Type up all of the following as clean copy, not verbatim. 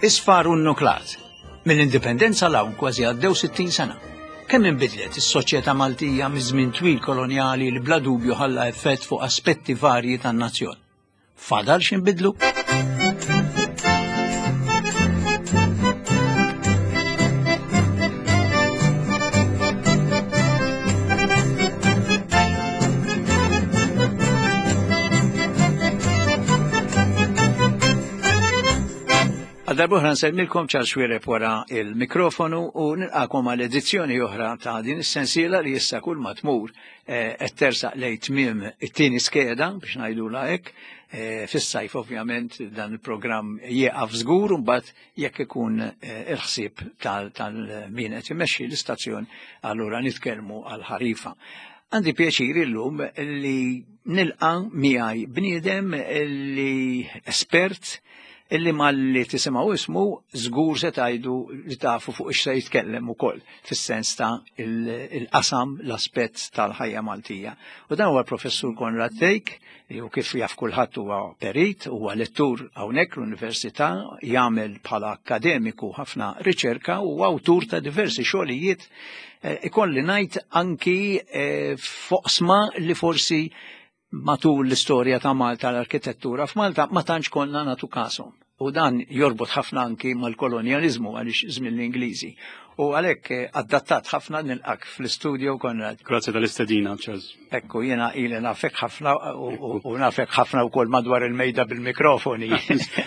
Isfar u nnuklat. Mill-Indipendenza 'l hawn kważi għaddew 60 sena. Kemm inbidlet is-soċjetà Maltija miż-żmien twil kolonjali li bla dubju ħalla effett fuq aspetti varji tan-nazzjon. Fadal x'inbidlu? Għal darbohra nsellmilkom Charles Xuereb wara il-mikrofonu u nilqakom għal edizzjoni oħra ta' din is-sensiela li issa kull ma tmur eh, qed tersaq lejn tmiem it-tieni skeda biex ngħidulha hekk. Eh, fis-sajf ovvjament dan il-programm jieqaf żgur u mbagħad jekk ikun eh, il-ħsieb tal-min qed imexxi l-istazzjon allura nitkellmu għal ħarifa. Għandi pjaċir illum li nilqa' miegħi bniedem li espert illi malli tisimgħu ismu żgur se tgħidu li tafu fuq ix se jitkellem ukoll fis-sens ta' il-qasam l-aspett tal-ħajja Maltija. U dan huwa l-Professur Konrad Thake, li hu kif jaf kulħadd huwa perit, huwa lettur hawnhekk l-Università, jagħmel bħala akkademiku ħafna riċerka u awtur ta' diversi xogħlijiet eh, ikolli ngħid anki eh, foqsma li forsi matul l-istorja ta' Malta l-arkitettura f'Malta ma tantx konna nagħtu kashom. U dan jorbot ħafna anki mal-kolonjaliżmu għaliex żmien l-Ingliżi. U għalhekk eh, adattat ħafna nilqak fl-istudio Konrad. Grazzi tal-istedina, Charles. Ekku, jiena ili nafek ħafna u nafek ħafna wkoll madwar il-mejda bil-mikrofoni.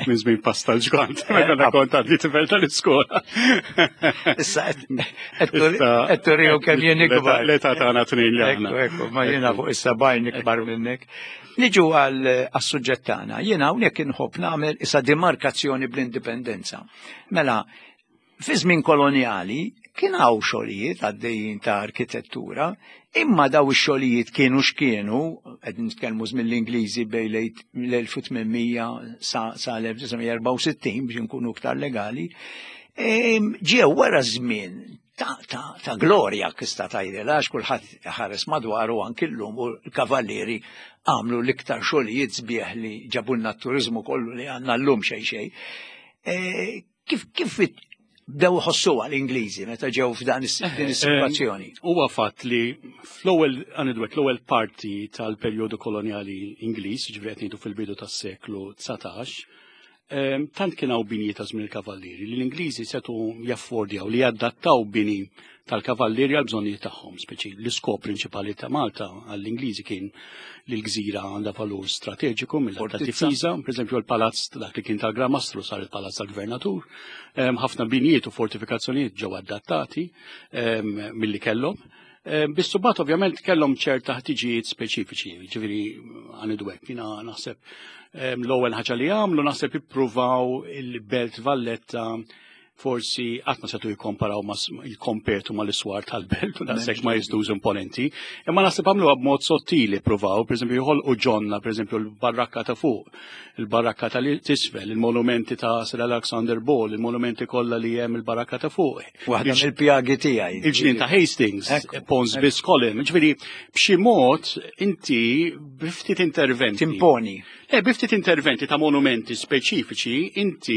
Minn żmien pasta l-ġgant, meta eh, kont għadni tifel tal-iskola. Issa qed turiju kemm jien ikbar. L-età tagħna tnejn li aħna. Ekku, ma jiena fuq is-sebgħin ikbar minnek. Niġu għal suġġett tagħna. Jiena hawnhekk inħobb nagħmel issa demarkazzjoni bl-indipendenza. Mela, fi żmien kolonjali kien hawn xogħlijiet għaddejjin ta' arkitettura, imma daw ix-xogħlijiet kienu x'kienu, qed nitkellmu żmien l-Ingliżi bejn l-1800 sa l-1964 biex nkunu iktar legali, ġew wara żmien ta', ta, ta glorja kista tajdela għax kulħadd ħares madwaru anki llum u l-kavallieri għamlu l-iktar xogħlijiet sbieħ li ġabulna t-turizmu kollu li għandna llum xejn xejn. E, kif kif bdew ħossuha l-Ingliżi meta ġew f'dan din eh, is-sitwazzjoni? Huwa fatt li fl-ewwel għanidwek l-ewwel parti tal-perjodu kolonjali Ingliż, ġifieri qed ngħidu fil-bidu tas-seklu 19, Ehm, tant kien hawn bini ta' żmien il-kavallieri li l-Ingliżi setu jaffordjaw li jadattaw bini tal-kavallieri għal bżonnijiet tagħhom, speċi l-iskop prinċipali ta' Malta għall-Ingliżi kien li l-gżira għandha valur strateġiku mill-lat ta' difiża, pereżempju l-palazz dak li kien tal-Gran Mastru sar il-palazz tal-Gvernatur, ehm, ħafna binijiet u fortifikazzjonijiet ġew adattati ehm, milli kellhom. Biss bat ovvjament kellhom ċerta ħtiġijiet speċifiċi, ġifieri għanidu hekk, jiena naħseb l-ewwel ħaġa li għamlu naħseb ippruvaw il-Belt Valletta forsi qatt ma setu jikkomparaw ma jikkompetu mal-iswar tal-belt u daqshekk ma jizdux imponenti. Imma naħseb għamluha b'mod sottili pruvaw, pereżempju joħolqu ġonna, pereżempju l-barrakka ta' fuq, il-barrakka ta' tisfel, il-monumenti ta' Sir Alexander Ball, il-monumenti kollha li hemm il-barrakka ta' fuq. Waħda mill-pjagi tiegħi. Il-ġnien ta' Hastings, Pons Biscolin, ġifieri b'xi mod inti biftit interventi. Timponi. Le, biftit interventi ta' monumenti speċifiċi inti.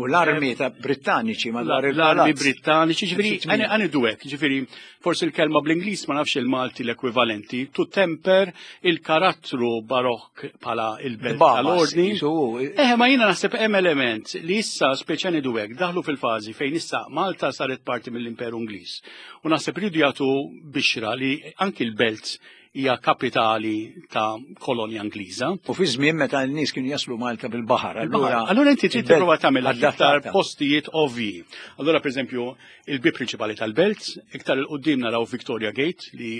U l-armi ta' Brittaniċi madwar il-L-armi Brittaniċi, ġifieri għanidu hekk, ġifieri forsi l-kelma bl-Ingliż ma nafx il-Malti l-ekwivalenti, to temper il-karattru barokk bħala il-belt tal-ordni. Eh, ma jiena naħseb hemm element li issa speċjali ngħidu hekk daħlu fil-fażi fejn issa Malta saret parti mill-Imperu Ingliż. U naħseb ridu jagħtu bixra li anki l-belt hija kapitali ta' kolonja Ingliża. U fi żmien meta n-nies kienu jaslu Malta bil-baħar. Allura, allura inti trid tipprova tagħmel aktar postijiet ovvji. Allura pereżempju Il-bieb prinċipali tal-belt, iktar il-qoddim naraw Victoria Gate li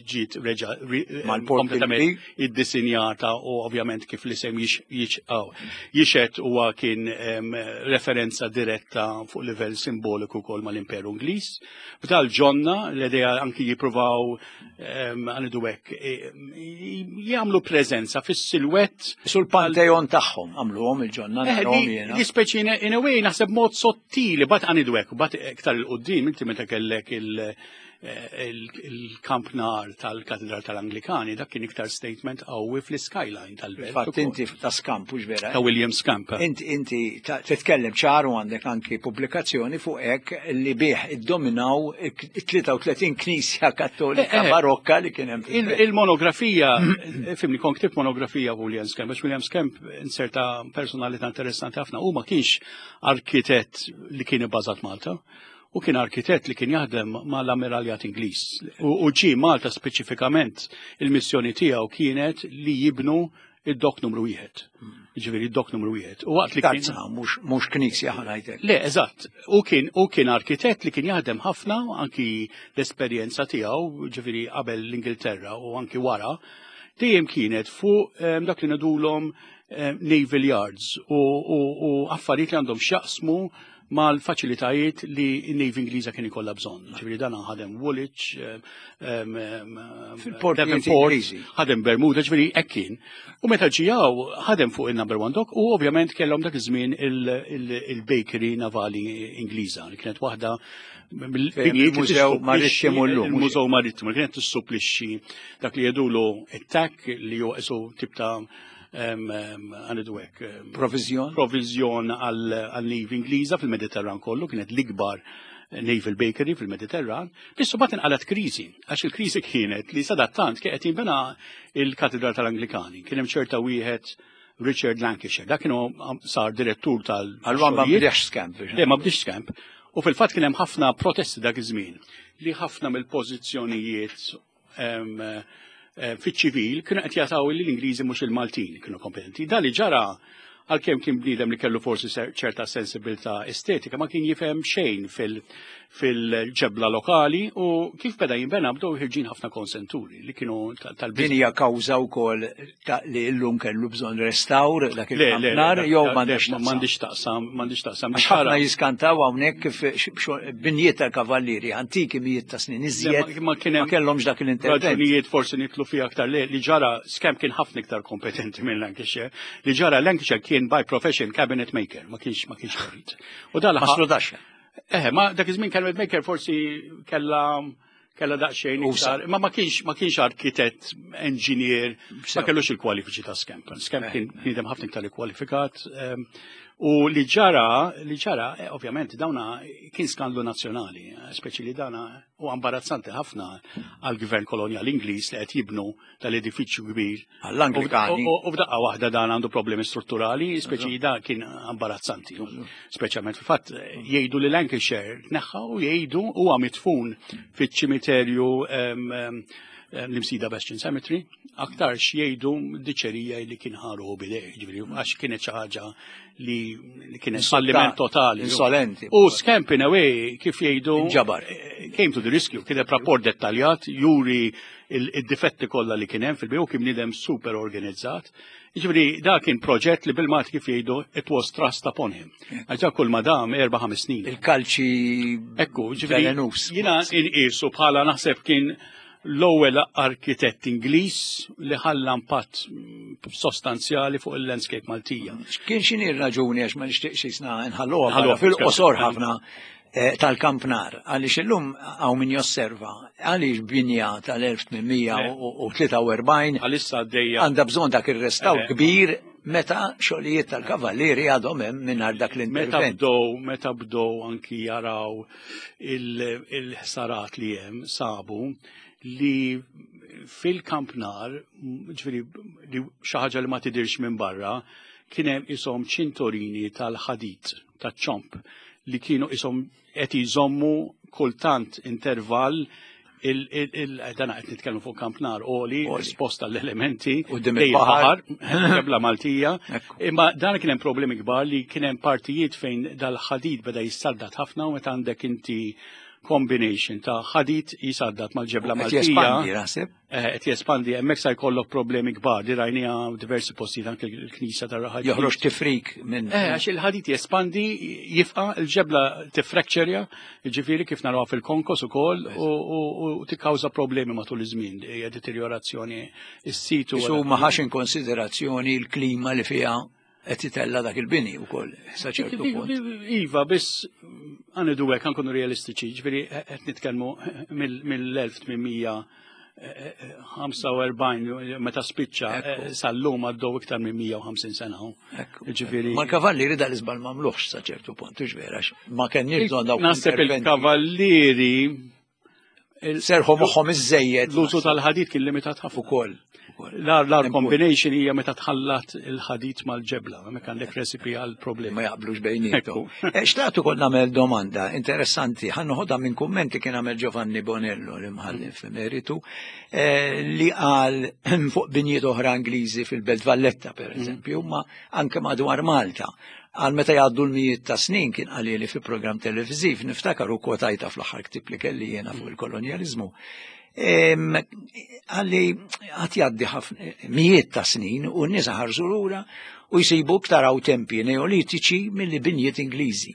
ġiet reġa kompletament iddisinjata u ovvjament kif l-isem jixet huwa kien referenza diretta fuq livell simboliku wkoll mal-Imperu Ingliż. F'dal ġonna l-idea anki jippruvaw għanidu hekk, e, jagħmlu preżenza fis-silwett. Sul panteon tagħhom għamluhom il-ġonna eh, Li speċi in a way naħseb mod sottili, bat għanidu hekk, bat iktar il-qudiem inti meta kellek il- Il-kampnar tal-Katedral tal-Anglikani, dak kien iktar statement qawwi fl-skyline tal-belt. Fatt inti ta' Scamp, hux vera? Ta' William Scamp. Inti titkellem ċar u għandek anki pubblikazzjoni fuq hekk li bih iddominaw 33 knisja kattolika barokka li kien hemm. Il-monografija, fhimni, kont ktibt monografija William Scamp, għax William Scamp inserta personalità interessanti ħafna, u ma kienx arkitett li kien ibbażat Malta, u kien arkitett li kien jaħdem mal-Ammiraljat Ingliż. U ġie Malta speċifikament, il-missjoni tiegħu kienet li jibnu id-dok numru 1. Ġifieri id-dok numru 1. U waqt li kien Tarza, mhux knisja, ħa ngħidlek. Le, eżatt. U kien arkitett li kien jaħdem ħafna, anki l-esperjenza tiegħu, ġifieri qabel l-Ingilterra u anki wara, dejjem kienet fuq dak li ngħidulhom naval yards u affarijiet li għandhom x'jaqsmu mal-faċilitajiet li n-Navy Ingliża kien ikollha bżonn. Ġifieri dan ħadem Woolwich, Fil-portijiet Devonport, Ingliżi. ħadem Bermuda, ġifieri hekk kien. U meta ġijaw ħadem fuq il-number one dock u ovvjament kellhom dak iż-żmien il-bakery navali Ingliża li kienet waħda mill-binjiet li Il-Mużew tissupplixxi- Marittimu llum, mhux Il-Mużew Marittimu li kienet tissupplixxi dak li jgħidulu it-tack, li huwa isu tip ta' għanidu hekk, Provizjon. provizjon għal-Navy Ingliża fil-Mediterran kollu, kienet l-ikbar naval bakery fil-Mediterran. Biss bat inqalat kriżi, għax il-kriżi kienet li sadattant kien qed jinbena il-Katedral tal-Anglikani. Kien hemm ċerta wieħed Richard Lancashire, dak kienu sar direttur tal- Allura ma xogħlijiet. bdiex Scamp. Le, ma bdiex Scamp. U fil-fatt kien hemm ħafna protesti dak iż-żmien li ħafna mill-pożizzjonijiet fiċ-ċivil kienu qed jagħtaw li l-Ingliżi, mhux il-Maltin kienu kompetenti. Da li ġara, għalkemm kien bniedem li kellu forsi ċerta sensibilità estetika, ma kien jifhem xejn fil-ġebla lokali u kif beda jinbena bdew ħirġin ħafna konsenturi li kienu tal Din hija kawża wkoll ta' li llum kellu bżonn restawr dak Le, le, il-kampnar jew m'għandux le, m'għandix taqsam, m'għandix taqsam. Għax ħafna jiskantaw hawnhekk kif binjiet tal-kavallieri antiki, mijiet ta' snin iżjed, Ma kien ma hemm kellhomx dak l-intervent. Raġunijiet forsi nidħlu fiha aktar. Li ġara, Scamp kien ħafna iktar kompetenti minn Lancashire. Li ġara, Lancashire kien by profession cabinet maker, ma kienx perit. U dal Maslu daxxa. Eh, ma dak iż-żmien cabinet maker forsi kella daqsxejn Usa. iktar, ma ma kienx arkitett, engineer, ma kellux il-kwalifiċi ta' Scamp. Scamp kien bniedem ħafna iktar ikkwalifikat. U li ġara, ovvjament, dawna kien skandlu nazzjonali, speċi li dana u imbarazzanti ħafna għal-gvern kolonial Ingliż li qed jibnu tal-edifiċju kbir. Għall-Anglikani. U f'daqqa waħda dan għandu problemi strutturali, speċi da kien imbarazzanti. Speċjalment fil-fatt jgħidu li Lancashire tneħħa u jgħidu huwa mitfun fiċ-ċimiterju l-Imsida Bastion Cemetery, aktarx jgħidu diċerija li kien ħaru bidej, ġifieri għax kienet xi ħaġa li kienet falliment totali. Insolenti. U Scamp in a way, kif jgħidu, Inġabar. Came to the rescue, kien rapport dettaljat, juri il-difetti kollha li kien hemm fil-bini, kien bniedem super organizzat. Ġifieri da kien proġett li bil-Malti, kif jgħidu, it was thrust upon him. Għax kull madam 4-5 snin. Il-kalċi Ekku, ġifieri velenus. Jiena inqisu bħala, naħseb, kien l-ewwel arkitett Ingliż li ħalla impatt sostanzjali fuq il-landscape Maltija. Kien x'inhi r-raġuni, għax ma nixtieqx jisna nħalluha Nħalluha fil-qosor ħafna, tal-kampnar, għaliex illum hawn min josserva għaliex binja tal-1843 Għalissa għaddejja għandha bżonn dak ir-restawr kbir meta xogħlijiet tal-kavallieri għadhom hemm mingħajr dak Meta l-intervent. bdew anki jaraw il-ħsarat li hemm, sabu li fil-kampnar, ġifieri li xi ħaġa li ma tidirx minn barra, kien hemm ishom ċintorini tal-ħadid, taċ-ċomp, li kienu ishom qed jżommu kultant intervall dana qed nitkellmu fuq kampnar għoli, esposta l-elementi, Quddiem lejn il-baħar. Il-baħar, ġebla Maltija. Ekku. Imma dan kien hemm problemi kbar li kien hemm partijiet fejn dal-ħadid beda jissaddat ħafna, u meta għandek inti combination ta' ħadid jisaddat mal-ġebla Qed Maltija. jespandi, naħseb. Qed jespandi, hemmhekk sa jkollok problemi kbar, di rajniha diversi postijiet, anke l-knisja tar-raħal. Joħroġ tifrik minn. Għax il-ħadid jespandi, jifqa, il-ġebla tifrekċerja, ġifieri kif narawha fil-konkos ukoll, u tikkawża problemi matul iż-żmien, hija deteriorazzjoni is-situ. Isu ma ħax in konsiderazzjoni l-klima li fiha qed itella dak il-bini wkoll sa ċertu punt. Iva, biss għanidu hekk nkunu realistiċi, ġifieri qed nitkellmu mill-1845 meta spiċċa sal-lum għaddew iktar minn 150 sena. Ġifieri. Ma l-kavallieri dal iżbal m'għamluhx sa ċertu punt, hux vera, ma kenniex bżonn dawk. Naħseb il-kavallieri Serħu moħħhom iżejjed. L-użu tal-ħadid kien limitat ħafna ukoll. L-ar combination hija meta tħallat il-ħadid mal-ġebla, hemmhekk għandek recipe għal problemi. Ma jaqblux bejnietom. Eh, xtaqt ukoll nagħmel domanda interessanti, ħa noħodha minn kumment li kien għamel Giovanni Bonello l-imħallef emeritu eh, li qal fuq binjiet oħra Ingliżi fil-Belt Valletta per mm. eżempju, ma anke madwar Malta Għal meta jgħaddu l-mijiet ta' snin kien qalili fi programm televiżiv, niftakar u kwotajta fl-aħħar ktib li kelli jiena fuq il-kolonjaliżmu. Għalli għat jgħaddi ħafna mijiet ta' snin u n-nies ħarsu lura u jsibu iktar hawn tempi neolitiċi milli binjiet Ingliżi.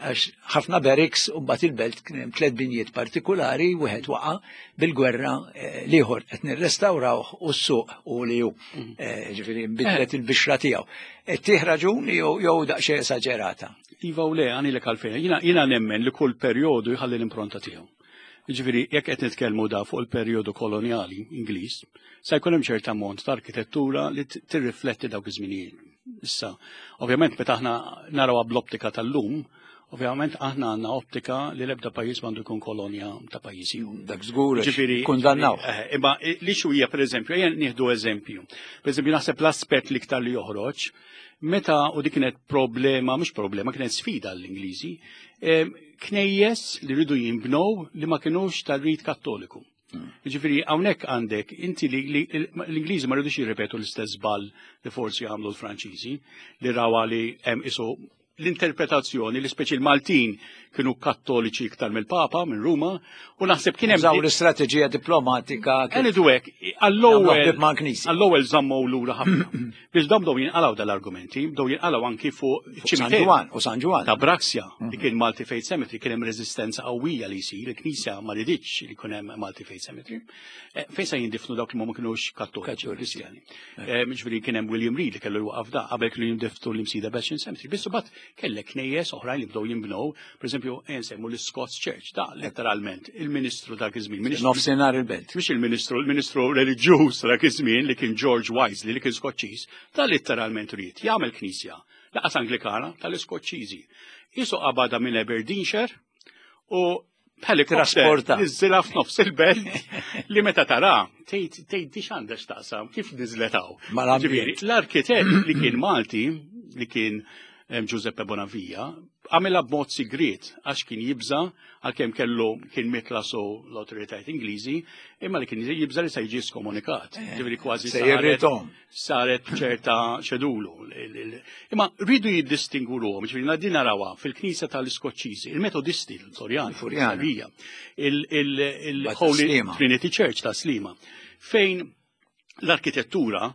Għax ħafna barracks u mbagħad il-belt kien hemm tliet binjiet partikulari, wieħed waqa' bil-gwerra eh, l-ieħor qed nirrestawrawh u s-suq u li hu. Mm. Eh, ġifieri nbidlet il-bixra tiegħu. Tih raġun jew daqsxejn esaġerata. Iva u le, għanilek għalfejn. Jiena nemmen li kull perjodu jħalli l-impronta tiegħu. Ġifieri, jekk qed nitkellmu da fuq il-perjodu kolonjali Ingliż, se jkun hemm ċerta ammont ta' arkitettura li tirrifletti dawk iż-żminijiet. Issa, ovvjament meta aħna narawha bl-optika tal-lum, ovvjament aħna għandna optika li l-ebda pajjiż m'għandu jkun kolonja ta' pajjiż ieħor. Dak żgur, ġifieri kundannaw. Eh, imma li xu hija pereżempju, ejja nieħdu eżempju. Pereżempju naħseb l-aspett l-iktar li joħroġ, meta u dik kienet problema, mhux problema, kienet sfida l-Ingliżi, eh, knejjes li rridu jinbnew li ma kinux tar-rit Kattoliku. Ġifieri hawnhekk għandek inti li l-Ingliżi ma rridux jirripetu l-istess żball li forsi għamlu l-Franċiżi li rawa li hemm isu l-interpretazzjoni li speċi l-Maltin kienu kattoliċi iktar mill-Papa minn Ruma u naħseb kien hemm Użaw l-istrateġija diplomatika. Għanidu hekk, għall-ewwel għall-ewwel żammu lura ħafna. Biex dawn bdew jinqalgħu dal-argumenti, bdew jinqalgħu anki fuq San Ġwann u San Ġwann. Ta' Braxia, li mhm. kien Malti Faith Cemetery, kien hemm reżistenza qawwija li jsir, il-Knisja ma riditx li jkun hemm Malti Faith Cemetery. Eh, fejn se jindifnu dawk li ma kinux kattoliċi Kristjani. Eh, ġifieri kien hemm William Reed li kellu jwaqaf da qabel kienu jindiftu l-Imsida Bastion Cemetery. Biss imbagħad kellek knejjes oħrajn li bdew jinbnew, pereżempju nsemmu l-Scots Church, da letteralment il-ministru dak iż-żmien. Nofsinhar il-belt. Mhux il-ministru, il-ministru reliġjuż dak iż-żmien li kien George Wisely li kien Skoċċiż, da letteralment ried jagħmel knisja laqas Anglikana tal-Iskoċċiżi. Isu qabada minn Aberdeenshire u Helikopter niżilha f'nofs il-belt li meta tara tgħid tgħid dix għandha x'taqsam kif niżlet hawn. Ġifieri l-arkitett li kien Malti li kien Giuseppe Bonavia għamilha b'mod sigriet għax kien jibża għalkemm kellu kien mitlasu l-awtoritajiet Ingliżi imma li kien jibża li se jiġi skomunikat. Eh, Ġifieri kważi saret ċerta ċedulu. Imma rridu jiddistingu ruhom, ġifieri din narawha fil-Knisja tal-Iskoċċiżi, il-Metodisti, l-Florjani, il-Holy Trinity Church ta' Slima, fejn l-arkitettura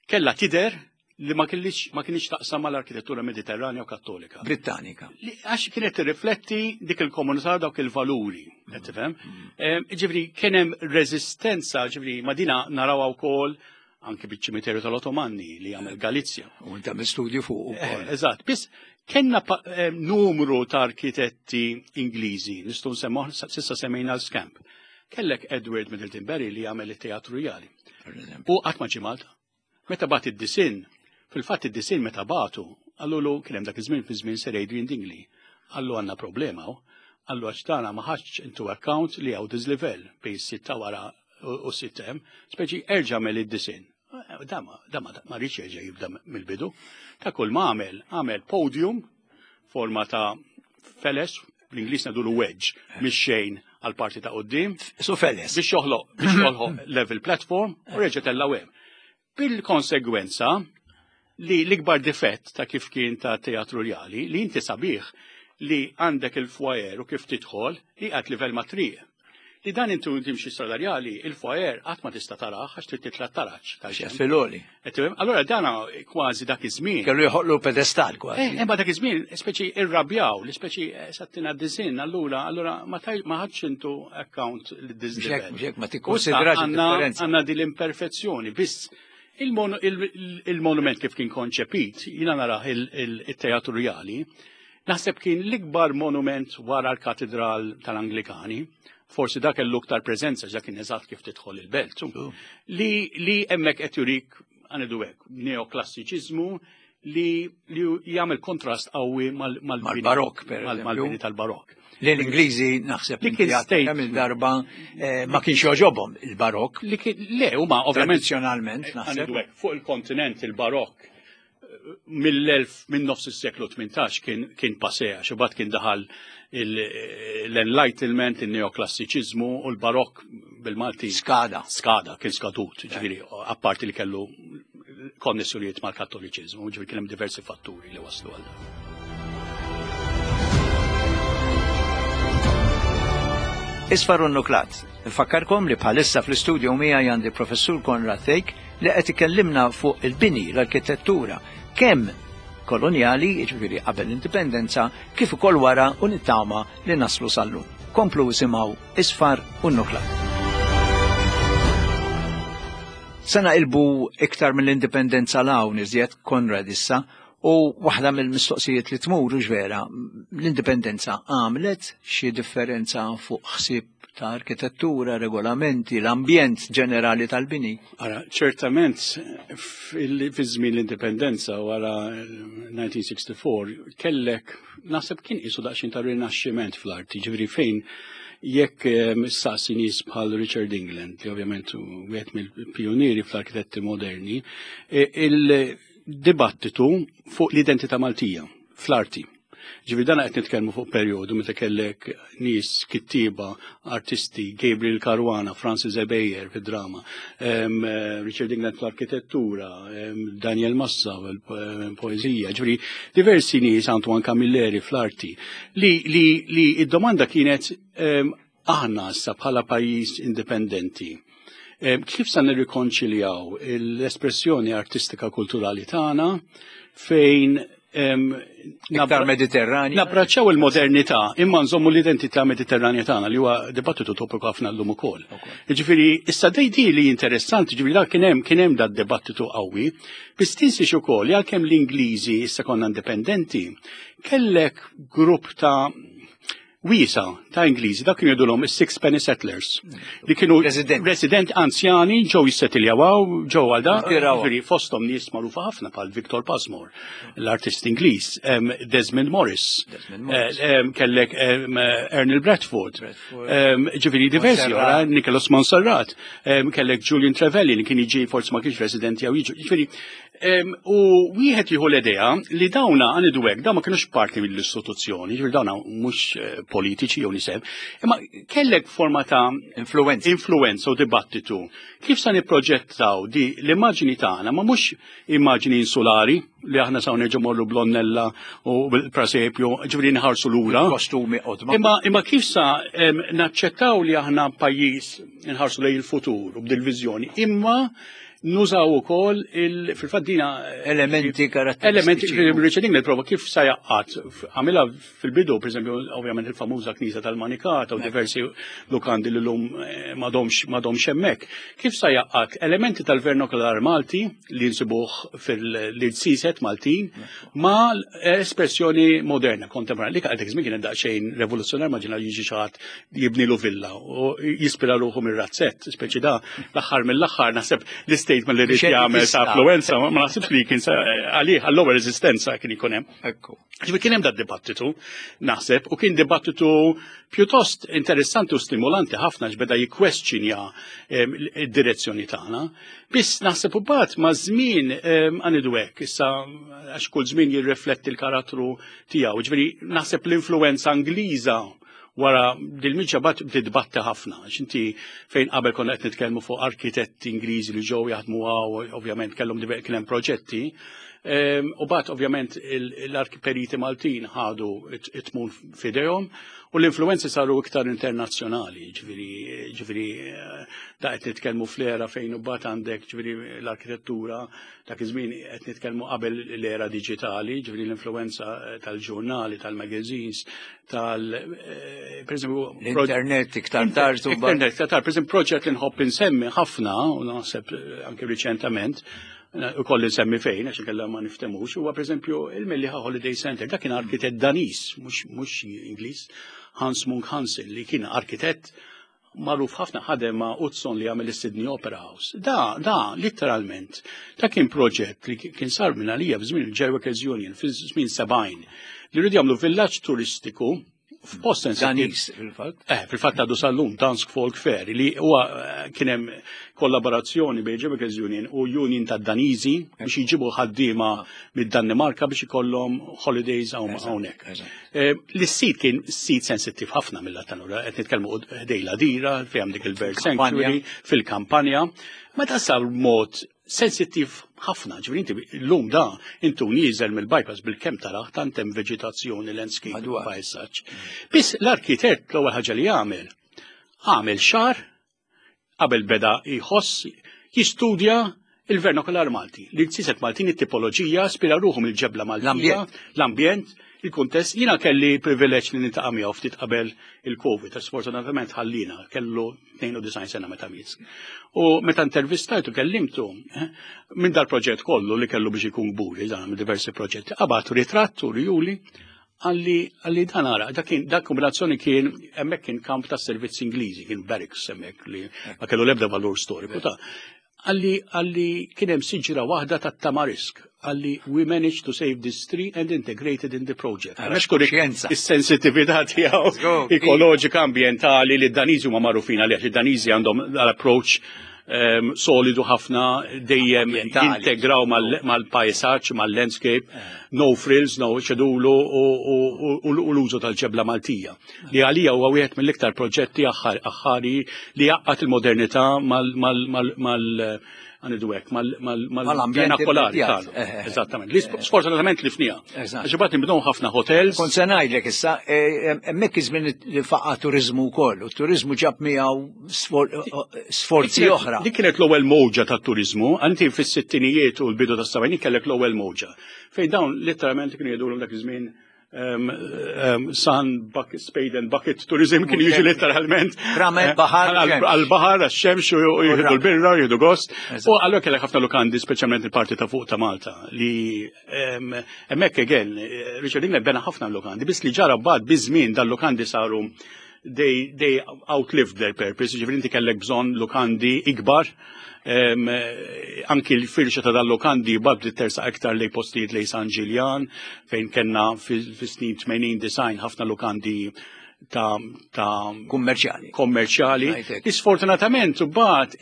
kella tider li ma kienx ma kienx taqsam mal-arkitettura Mediterranja u Kattolika. Brittanika. Għax kienet tirrifletti dik il-komunità dawk il-valuri, qed tifhem? Mm. Eh, ġifri kien hemm reżistenza, ġifri ma dina narawha wkoll anki biċ-ċimiterju tal-Ottomanni li għamel Galizja. U inta studju fuq ukoll. Eh, eżatt, biss kellna eh, numru ta' arkitetti Ingliżi, nistgħu nsemmu sissa semmejna l-Scamp. Kellek Edward Middleton Barry li għamel it-teatru rjali. U qatt ma ġie Malta. Meta bagħat id-disinn, fil-fatt id-disinn meta bagħtu, qallulu kien hemm dak iż-żmien fi żmien Sir Adrian Dingley. Qallu għandna problema hawn. Qallu għax tagħna ma ħadx into account li hawn diżlivell bejn is-sitt ta' wara u s-sitt hemm, speċi erġa' għamel id-disinn. Da ma rridx jerġa' jibda mill-bidu. Ta' kull ma għamel, għamel podium forma ta' feles, bl-Ingliż ngħidulu wedge, mhix xejn għal parti ta' quddiem. Su feles. Biex joħloq, biex joħloq level platform u reġa' tellgħu hemm. Bil-konsegwenza li l-ikbar difett ta' kif kien ta' teatru rjali li inti sabiħ li għandek il-foyer u kif tidħol li għad livell ma' triq. Li dan intu timxi salarjali, il-foyer qatt ma tista' tarah għax trid titla' taraġ. Filoli. Allora dana kważi dak iż-żmien. Kellu joħolqlu pedestal kważi. Eh, imma dak iż-żmien speċi irrabjaw, li speċi eh, sattina diżin, allura allura ma ħadx intu account li diżin. Ma tikkonsidrax Għandna din l-imperfezzjoni, biss Il-monument kif kien konċepit, jiena narah il-Teatru Rjali, naħseb kien l-ikbar monument wara l-Katedral tal-Anglikani, forsi dak kellu iktar preżenza ġa kien eżatt kif tidħol il-belt. Li li hemmhekk qed jurik għanidu hekk neoklassiċiżmu li li jagħmel kontrast qawwi mal-barokk per mal-bini tal-barokk. Li l-Ingliżi naħseb li kien kemm il-darba eh, ma kienx joġobhom il-barokk. Li kien le huma ovvjament tradizzjonalment eh, naħseb. Fuq il-kontinent il-barokk eh, mill-1000 minn nofs is-seklu 18 kien kien passé għax imbagħad kien daħal l-enlightenment, il-neoklassiċiżmu u l-barokk bil-Malti. Skada. Skada, kien skadut, ġifieri, apparti li kellu konnessjonijiet mal-Kattoliċiżmu, ġifieri kien hemm diversi fatturi li waslu għal dan. Isfar u nuklat. Nfakkarkom li bħalissa fl-istudio miegħi għandi professur Konrad Thake li qed ikellimna fuq il-bini, l-arkitettura, kemm kolonjali, jiġifieri qabel l-indipendenza, kif ukoll wara u nittama li naslu sal-lum. Komplu isimgħu Isfar u nuklat. Se naqilbu iktar mill-indipendenza 'l hawn iżjed, Konrad issa, u waħda mill-mistoqsijiet li tmur hux vera, l-indipendenza għamlet xi differenza fuq ħsieb ta' arkitettura, regolamenti, l-ambjent ġenerali tal-bini? Ara, ċertament fi żmien l-indipendenza wara 1964 kellek naħseb kien qisu daqsxejn ta' rinaxximent fl-arti, ġifieri fejn jekk eh, saqsi nies bħal Richard England, li ovvjament wieħed mill-pionieri fl-arkitetti moderni, eh, il-dibattitu fuq l-identità Maltija fl-arti. Ġifieri dan qed nitkellmu fuq perjodu meta kellek nies kittieba, artisti, Gabriel Caruana, Francis Ebejer fid-drama, eh, Richard England fl-arkitettura, Daniel Massa fil-poeżija, ġifieri diversi nies Antoine Camilleri fl-arti li li li id-domanda kienet aħna issa bħala pajjiż indipendenti kif sa nirrikonċiljaw l-espressjoni artistika kulturali tagħna fejn Iktar Mediterranja. Nabbraċċaw il-modernità imma nżommu l-identità Mediterranja tagħna li huwa dibattitu topiku ħafna llum ukoll. Jiġifieri issa dej li interessanti, ġifieri dak kien hemm kien hemm dat dibattitu qawwi, biss tinsiex ukoll li għalkemm l-Ingliżi issa konna indipendenti, kellek grupp ta' wiesa ta' Ingliżi, dak kienu jgħidulhom is-Six Penny Settlers, li kienu resident anzjani ġew jissettiljaw ġew għal da, ġifieri fosthom nies magħrufa ħafna bħal Victor Pasmore, l-artist Ingliż, Desmond Morris, eh, kellek Ernil Bradford, ġifieri diversi oħra, Nicholas Monserrat, kellek Julian Trevelyan li kien jiġi forsi ma kienx residenti jew jiġu, ġifieri U wieħed jieħu l-idea li dawna għanidu hekk, dawn ma kienux parti mill-istituzzjoni, ġifieri dawna mhux eh, politiċi jew niseb, imma kellek forma ta' influenza influenza u dibattitu. Kif sa nipproġettaw di l-immaġini tagħna ma mhux immaġini insulari li aħna sa nerġgħu morru blonnella u bil-prasepju, ġifieri nħarsu lura. Kostumi qodma. Imma imma kif sa naċċettaw li aħna pajjiż nħarsu lejn il-futur u b'dil viżjoni, imma Nużaw ukoll fil-fatt dina elementi karatteristiċi. Elementi Richard England prova kif sa jaqqat. Għamilha fil-bidu, pereżempju, ovvjament il-famuża knisja tal-Manikata u diversi lukandi li lum eh, m'għadhomx hemmhekk. Kif sa jaqqat elementi tal-vernakular Malti li nsibuh fil-irsiset Maltin ma espressjoni moderna, kontemporanja, li għal dak żmien kienet daqsxejn revoluzzjonar ma ġina jiġi xi ħadd jibnilu villa u jispira ruħu mir-razzett, speċi da l-aħħar mill-aħħar naħseb l-statement li rrid jagħmel ta' affluenza ma naħsibx li kien għalih għall-ewwel reżistenza kien ikun hemm. Ekku. Ġifieri kien hemm dat dibattitu naħseb u kien dibattitu pjuttost interessanti u stimolanti ħafna x'beda jikkwestjonja id-direzzjoni tagħna. Biss naħseb u bat ma' żmien għanidu hekk, issa għax kull żmien jirrifletti l-karattru tiegħu. Ġifieri naħseb l-influenza Ingliża wara dil-miġja bat bdiet tbatti ħafna. X'inti fejn qabel konna qed nitkellmu fuq arkitetti Ingliżi li ġew jaħdmu hawn, ovvjament kellhom kien hemm proġetti. U bat ovvjament l-arkiperiti Maltin ħadu it-tmun fidejhom u l-influenzi saru iktar internazzjonali, ġifieri da qed nitkellmu fl-era fejn u bat għandek ġifieri l-arkitettura dak iż-żmien qed nitkellmu qabel l-era diġitali, ġifieri l-influenza tal-ġurnali, tal-magazines, tal per eżempju l-internet iktar tard. Internet iktar tard, per eżempju proġett li nħobb insemmi ħafna u naħseb anke riċentament u kolli nsemmi fejn, għax inkella ma niftemux, huwa pereżempju il-Mellieħa Holiday Center, dak kien arkitett Daniż, mhux Ingliż, Hans Munk Hansen, li kien arkitett magħruf ħafna ħadem ma' Utzon li għamel is-Sydney Opera House. Da, da, literalment, da kien proġett li kien sar minn għalija f'żmien il-Jail Union, fi żmien 70, li rridu jagħmlu villaġġ turistiku f'post Danis, fil-fatt. Fil-fatt għadu sal-lum, Dansk Folk Fair, li huwa kien hemm kollaborazzjoni bejn Jail Union u Union ta' Daniżi biex jġibu ħaddiema mid-Danimarka biex ikollhom holidays hawnhekk. L-sit kien sit sensittiv ħafna mill-lat tanura, qed nitkellmu ħdejn l-Għadira, fejn hemm dik il-Bird Sanctuary, fil-kampanja. Meta sar mod sensittiv ħafna, ġifieri inti llum da intu nieżel mill-bypass bil-kemm taraħ tant hemm veġitazzjoni, landscape, pajsaġġ. Biss l-arkitett l-ewwel ħaġa li għamel, għamel xahar qabel beda jħoss jistudja il-vernakular Malti. Li l-siset Maltin it-tipoloġija spira ruħu mill-ġebla Maltija, l-ambjent, il-kuntest. Jiena kelli privileġġ li niltaqa' miegħu ftit qabel il-Covid, sfortunatament ħallina, kellu 92 sena meta miet. U meta intervistajtu kellimtu, minn dal-proġett kollu li kellu biex ikun kburi, dan minn diversi proġetti, qabad ritratt u rjuli għalli dan ara, dak kombinazzjoni kien hemmhekk kien kamp ta' servizzi Ingliżi, kien barracks hemmhekk li ma kellu l-ebda valur storiku ta' għalli kien hemm siġra waħda ta' tamarisk, għalli we managed to save this tree and integrated in the project. Għax Is-sensitività tiegħu ekoloġika ambientali li d-Daniżi huma magħrufin għalih, id-Daniżi għandhom l-approach solidu ħafna dejjem jintegraw mal-pajsaġġ, mal-landscape, no frills, no ċedulu u l-użu tal-ġebla Maltija. Li għalija huwa wieħed mill-iktar proġetti aħħari li jgħaqqad il-modernità mal għanidu hekk, mal-vernakolari tagħna. Eżattament. Li sfortunatament li fnija. Għax imbagħad nibnew ħafna hotels. Kont se ngħidlek issa, hemmhekk iż-żmien li faqa' turiżmu wkoll, u t-turiżmu ġab miegħu sforzi oħra. Dik kienet l-ewwel mowġa tat-turiżmu, anti fis-sittinijiet u l-bidu tas-sebgħinijiet kellek l-ewwel mowġa. Fejn dawn letteralment kienu jgħidulhom dak iż-żmien sun, bucket, spade and bucket tourism kien jiġi letteralment. Ramel baħar. Għal-baħar, għax-xemx u jieħdu l-birra, jieħdu gost. U allura kellek ħafna lukandi, speċjalment il-parti ta' fuq ta' Malta, li hemmhekk again, Richard England bena ħafna lukandi, biss li ġara bad biż-żmien dal-lukandi saru they outlived their purpose, ġifieri inti kellek bżonn lukandi ikbar, anki l-firxa ta' dal-lukandi bad li tersa iktar lej postijiet lej San Ġiljan, fejn kellna fis-snin 80 design ħafna lukandi ta' kummerċjali. Kommerċjali. Sfortunatament, bat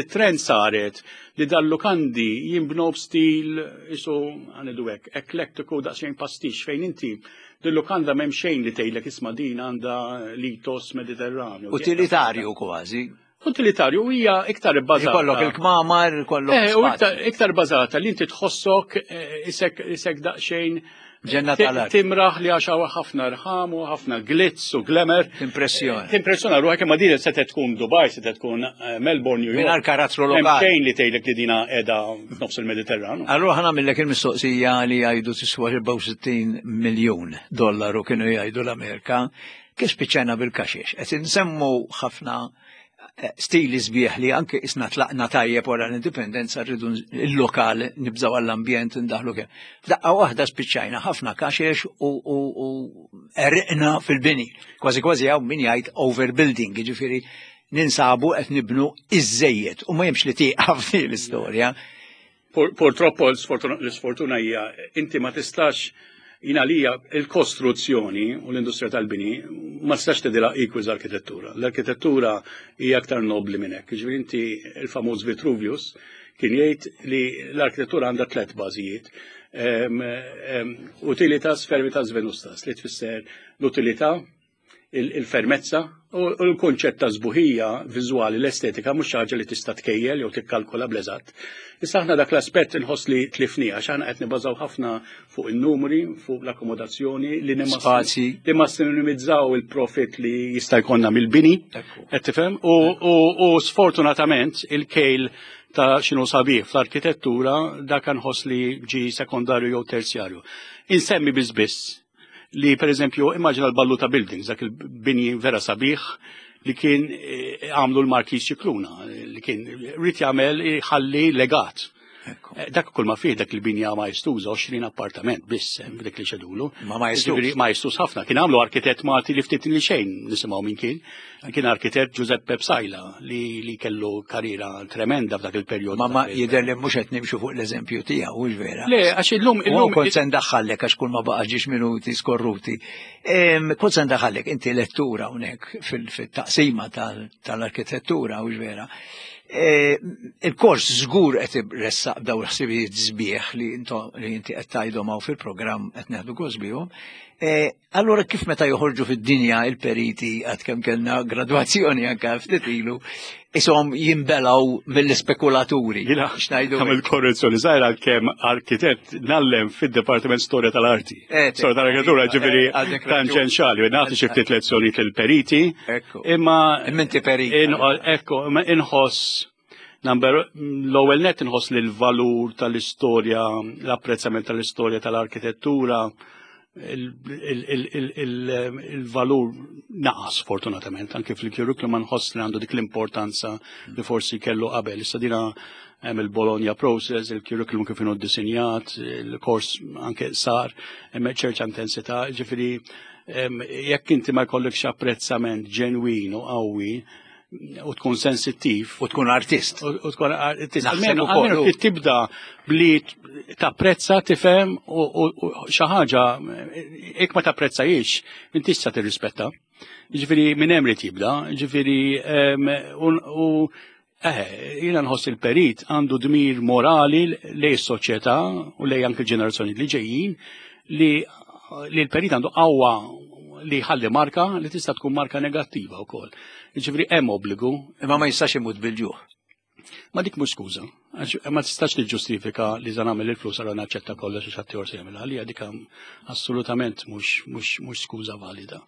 it-trend saret li dal-lukandi jimbnow b'stil isu għanidu hekk, eklektiku daqsxejn pastix fejn inti dil-lukanda m'hemm xejn li tgħidlek isma' din għandha litos Mediterranju. Utilitarju kważi. Utilitarju hija iktar ibbażata. Ikollok il-kmamar, ikollok. U iktar bażata li inti tħossok isek daqsxejn Ġenna tal-art. Timraħ li għax hawn ħafna rħam u ħafna glitz u glamour. Impressjoni. Timpressjona ruħek imma din se tkun Dubai, se tkun Melbourne, New York. Mingħajr karattru lokali. Xejn li tgħidlek li dina qiegħda f'nofs il-Mediterranu. Allura ħa nagħmillek il-mistoqsija li jgħidu tiswa 64 miljun dollaru kienu jgħidu l-Amerika. Kif spiċċajna bil-kaxex? Qed insemmu ħafna stili sbieħ li anke isna tlaqna tajjeb wara l-indipendenza rridu il-lokal nibżaw għall-ambjent ndaħlu kemm. F'daqqa waħda spiċċajna ħafna kaxex u erqna fil-bini. Kważi kważi hawn min jgħid overbuilding, jiġifieri ninsabu qed nibnu iż-żejjed u ma jemx li tieqaf l-istorja. Purtroppo l-sfortuna hija inti ma tistax jina lija il-kostruzzjoni u l-industrija tal-bini ma tistax tgħidilha equals arkitettura. L-arkitettura hija aktar nobli minn hekk. Ġifieri inti il-famuż Vitruvius kien jgħid li l-arkitettura għandha tliet bażijiet. Utilitas, fervitas, venustas, li tfisser l-utilità, il-fermezza u l-kunċett ta' sbuħija viżwali l-estetika mhux xi ħaġa li tista' tkejjel jew tikkalkola bl-eżatt. Issa aħna dak l-aspett inħoss li tlifni għax aħna qed nibbażaw ħafna fuq in-numri, fuq l-akkomodazzjoni li Spazji. li massimizzaw il-profit li jista' jkollna mill-bini. Qed tifhem? U sfortunatament il-kejl ta' x'inhu sabiħ fl-arkitettura dak nħoss li ġi sekondarju jew terzjarju. Insemmi biss biss li per eżempju immaġina l-Balluta Buildings, dak il-bini vera sabiħ li kien eh, għamlu l-Markiż Scicluna, li kien rrid jagħmel ħalli legat. Eh, dak kull ma fih dak il-binja maestuża 20 appartament biss hemm dik li xedulu. Ma maestuż. Ġifieri Maestuż ħafna. Kien għamlu arkitett Malti li ftit li xejn nisimgħu minn kien. Kien arkitett Giuseppe Psaila li, li kellu karriera tremenda f'dak il-perjodu. Ma ma jidher li mhux qed nimxu fuq l-eżempju tiegħu, hux vera. Le, għax illum illum illum kont se ndaħħallek għax kull ma baqa' ġiex minuti skorruti. Kont se ndaħħallek inti lettura hawnhekk fil-taqsima tal-arkitettura, hux vera. E, il-kors żgur qed iressaq daw il-ħsibijiet sbieħ li inti qed tgħidhom hawn fil-programm qed neħdu gost bihom. E, allura kif meta joħorġu fid-dinja il-periti għad kemm kellna gradwazzjoni anke ftit ilu, isom jimbelaw mill-ispekulaturi. Jina, għamil korrezzjoni zaħira kemm arkitett nallem fid-Departiment Storja tal-Arti. Eh, Storja tal-Arkitettura, ġifieri tanġenxali, nagħti xi ftit lezzjonijiet lill-periti. Imma Imma inti perit. Ekku, imma inħoss number l-ewwel net inħoss li l-valur tal-istorja, l-apprezzament tal-istorja tal-arkitettura, il-valur naqas fortunatament, anke fil-curriculum ma nħoss li għandu dik l-importanza li forsi kellu qabel. Issa dina hemm il-Bologna process, il-curriculum kif inhu ddisinjat, il-kors anke sar, hemm ċerta intensità, ġifieri jekk inti ma jkollokx apprezzament ġenwin u qawwi u tkun sensittiv U tkun artist. u tkun artist. Naħseb Almenu ukoll, almenu u- trid tibda bli tapprezza, tifhem u xi ħaġa jekk ma tapprezzajiex, inti tista' tirrispetta. Ġifieri minn hemm li tibda, ġifieri u jiena nħoss il-perit għandu dmir morali lej s-soċjetà u lej anke l-ġenerazzjoni li ġejjin li li l-perit għandu qawwa li ħalli marka li tista' tkun marka negattiva wkoll. Ġifieri hemm obbligu Imma ma jistax imut bil-ġuħ. Ma dik mhux skuża. Għax ma tistax tiġġustifika li za nagħmel il-flus għal naċċetta kollox għax ħadd se jagħmilha għalija dik assolutament mhux skuża valida.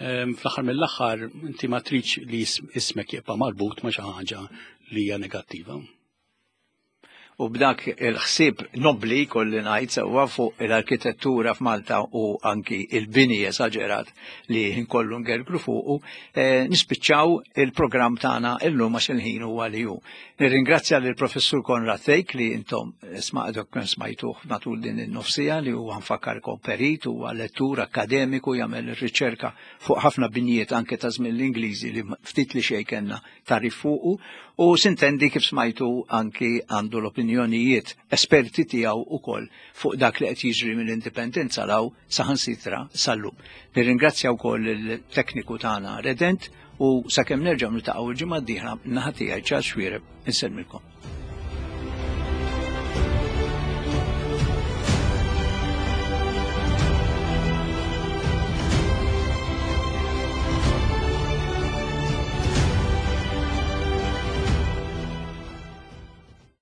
Fl-aħħar mill-aħħar inti ma tridx li ismek jibqa' marbut ma' xi ħaġa li hija negattiva. U b'dak il-ħsieb nobli kolli ngħid sewwa fuq l-arkitettura f'Malta u anki il-bini esaġerat li nkollu ngergru fuqu, nispiċċaw il-programm tagħna illum għax il-ħin huwa li hu. Nirringrazzja lill professur Konrad Thake li intom smaqdok kien smajtuh matul din in-nofsija li huwa nfakkarkom perit, huwa lettur akkademiku jagħmel ir-riċerka fuq ħafna binjiet anke ta' żmien l-Ingliżi li ftit li xejn kellna tarif fuqu u sintendi kif smajtu anki għandu l-opinjonijiet esperti tiegħu ukoll fuq dak li qed jiġri mill-indipendenza law saħansitra sal-lum. Nirringrazzja wkoll il-tekniku tagħna Redent u sakemm nerġgħu niltaqgħu l-ġimgħa d-dieħla naħa tiegħi Charles Xuereb insellmilkom.